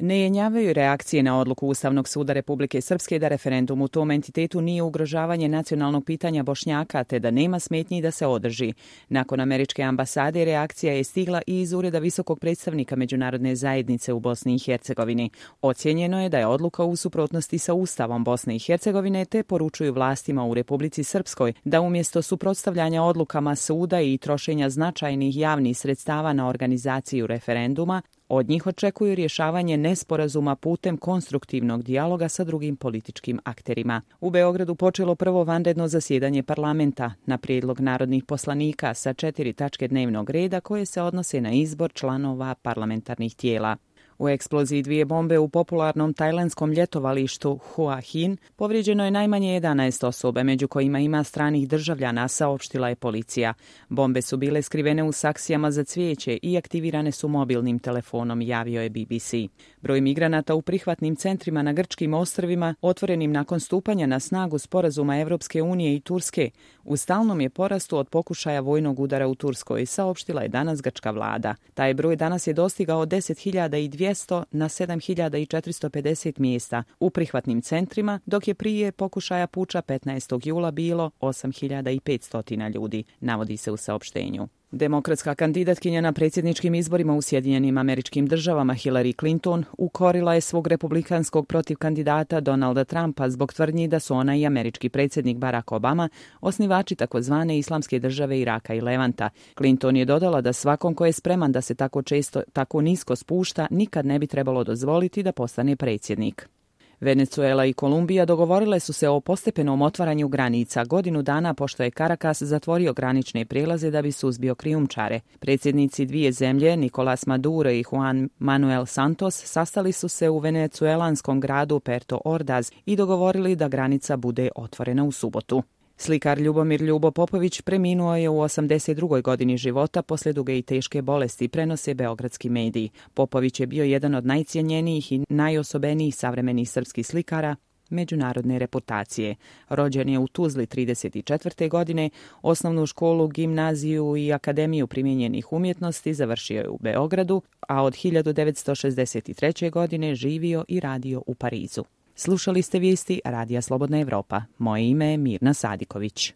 Ne jenjavaju reakcije na odluku Ustavnog suda Republike Srpske da referendum u tom entitetu nije ugrožavanje nacionalnog pitanja Bošnjaka te da nema smetnji da se održi. Nakon američke ambasade reakcija je stigla i iz ureda visokog predstavnika međunarodne zajednice u Bosni i Hercegovini. Ocijenjeno je da je odluka u suprotnosti sa Ustavom Bosne i Hercegovine te poručuju vlastima u Republici Srpskoj da umjesto suprotstavljanja odlukama suda i trošenja značajnih javnih sredstava na organizaciju referenduma, od njih očekuju rješavanje nesporazuma putem konstruktivnog dijaloga sa drugim političkim akterima. U Beogradu počelo prvo vanredno zasjedanje parlamenta na prijedlog narodnih poslanika sa 4 tačke dnevnog reda koje se odnose na izbor članova parlamentarnih tijela. U eksploziji 2 bombe u popularnom tajlandskom ljetovalištu Hua Hin povrijeđeno je najmanje 11 osoba, među kojima ima stranih državljana, saopštila je policija. Bombe su bile skrivene u saksijama za cvijeće i aktivirane su mobilnim telefonom, javio je BBC. Broj migranata u prihvatnim centrima na grčkim ostrvima, otvorenim nakon stupanja na snagu sporazuma Evropske unije i Turske, u stalnom je porastu od pokušaja vojnog udara u Turskoj, saopštila je danas grčka vlada. Taj broj danas je dostigao 10.200 na 7.450 mjesta u prihvatnim centrima, dok je prije pokušaja puča 15. jula bilo 8.500 ljudi, navodi se u saopštenju. Demokratska kandidatkinja na predsjedničkim izborima u Sjedinjenim Američkim Državama Hillary Clinton ukorila je svog republikanskog protivkandidata Donalda Trumpa zbog tvrdnji da su ona i američki predsjednik Barack Obama osnivači takozvane islamske države Iraka i Levanta. Clinton je dodala da svakom ko je spreman da se tako nisko spušta nikad ne bi trebalo dozvoliti da postane predsjednik. Venezuela i Kolumbija dogovorile su se o postepenom otvaranju granica godinu dana pošto je Caracas zatvorio granične prijelaze da bi suzbio krijumčare. Predsjednici dvije zemlje, Nicolás Maduro i Juan Manuel Santos, sastali su se u venecuelanskom gradu Puerto Ordaz i dogovorili da granica bude otvorena u subotu. Slikar Ljubomir Ljubo Popović preminuo je u 82. godini života poslije duge i teške bolesti, prenose beogradski mediji. Popović je bio jedan od najcijenjenijih i najosobenijih savremenih srpskih slikara međunarodne reputacije. Rođen je u Tuzli 34. godine, osnovnu školu, gimnaziju i akademiju primijenjenih umjetnosti završio je u Beogradu, a od 1963. godine živio i radio u Parizu. Slušali ste vijesti Radija Slobodna Evropa. Moje ime je Mirna Sadiković.